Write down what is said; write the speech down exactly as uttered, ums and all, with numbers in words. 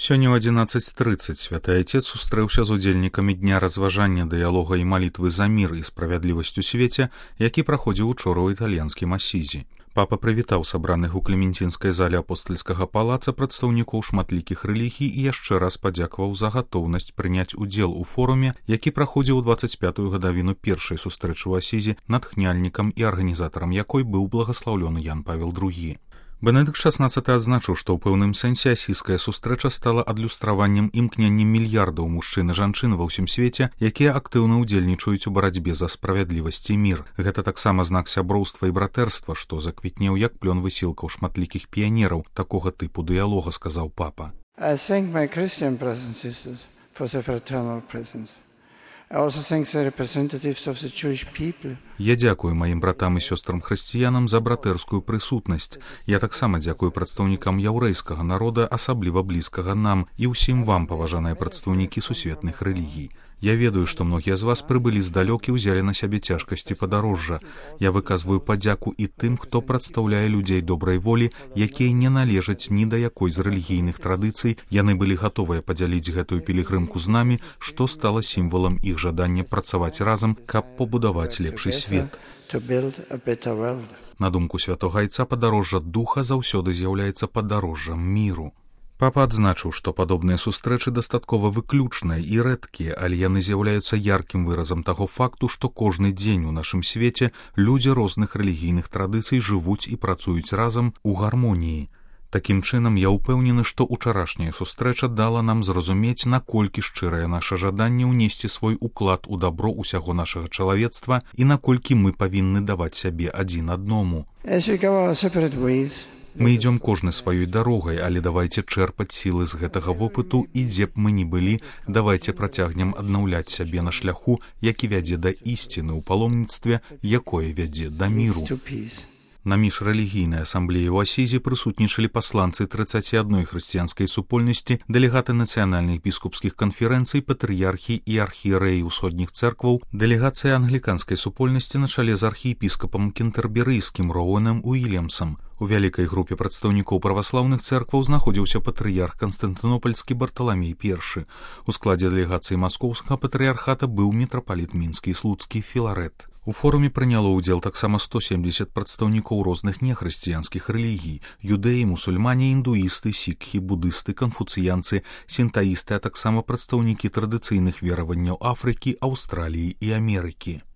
Сёння ў адзінаццаць трыццаць святы Айцец сустрэўся з удзельнікамі дня разважання, дыялога і малітвы за мір і справядлівасць у свеце, які праходзіў учора ў італьянскім Асізі. Папа прывітаў сабраных у клементинскай зале апостальскага палаца прадстаўнікоў шматлікіх рэлігій і яшчэ раз падзякаваў за гатоўнасць прыняць удзел у форуме, які праходзіў у дваццаць пятую гадавіну першай сустрэчы ў Асізі, натхняльнікам і арганізатарам якой быў благаслаўлёны Ян Павел другі. Бенедыкт шаснаццаты адзначыў, што ў пэўным сэнсе асійская сустрэча стала адлюстраваннем імкнення мільярдаў мужчын і жанчын ва ўсім свеце, якія актыўна ўдзельнічаюць у барацьбе за справядлівасць і мір. Гэта таксама знак сяброўства і братэрства, што заквітнеў як плён высілкаў шматлікіх піянераў такога тыпу дыялога, сказаў папа. I thank my Christian brothers and sisters for their fraternal presence. I also thank the representatives of the Jewish people. Я дзякую маім братам і сёстрам-хрысціянам за братэрскую прысутнасць. Я таксама дзякую прадстаўнікам яўрэйскага народа, асабліва блізкага нам, і ўсім вам, паважаныя прадстаўнікі сусветных рэлігій. Я ведаю, што многія з вас прыбылі здалёк і ўзялі на сябе цяжкасці падарожжа. Я выказваю падзяку і тым, хто прадстаўляе людзей добрай волі, якія не належаць ні да якой з рэлігійных традыцый. Яны былі гатовыя падзяліць гэтую пілігрымку з намі, што стала сімвалам іх жадання працаваць разам, каб пабудаваць лепшы свет. На думку святога Айца, падарожжа духа заўсёды з'яўляецца падарожжам міру. Папа адзначыў, што падобныя сустрэчы дастаткова выключныя і рэдкія, але яны з'яўляюцца яркім выразам таго факту, што кожны дзень у нашым свеце людзі розных рэлігійных традыцый жывуць і працуюць разам у гармоніі. Такім чынам, я ўпэўнены, што ўчарашняя сустрэча дала нам зразумець, наколькі шчырае наша жаданне ўнесці свой уклад у дабро ўсяго нашага чалавецтва і наколькі мы павінны даваць сябе адзін адному. Мы ідём кожны сваёй дарогай, але давайце чэрпаць сілы з гэтага вопыту і дзе б мы ні былі, давайце працягнем аднаўляць сябе на шляху, які вядзе да ісціны ў паломніцтве, якое вядзе да міру. На міжрэлігійнай асамблеі ў Асізі прысутнічалі пасланцы трыццаці адной хрысціянскай супольнасці, дэлегаты нацыянальных біскупскіх канферэнцый, патрыярхі і архіерэі ўсходніх цэркваў, дэлегацыя англіканскай супольнасці на чале з архіепіскапам кентэрберыйскім Роуэнам Уільямсам. У вялікай групе прадстаўнікоў праваслаўных цэркваў знаходзіўся патрыярх Канстантынопальскі Барталамей першы. У складзе дэлегацыі маскоўскага патрыярхата быў мітрапаліт мінскі і слуцкі Філарэт. У форуме прыняло ўдзел таксама сто семдзесят прадстаўнікоў розных нехрысціянскіх рэлігій: юдэі, мусульмане, індуісты, сікхі, будысты, канфуцыянцы, сінтаісты, а таксама прадстаўнікі традыцыйных вераванняў Афрыкі, Аўстраліі і Амерыкі.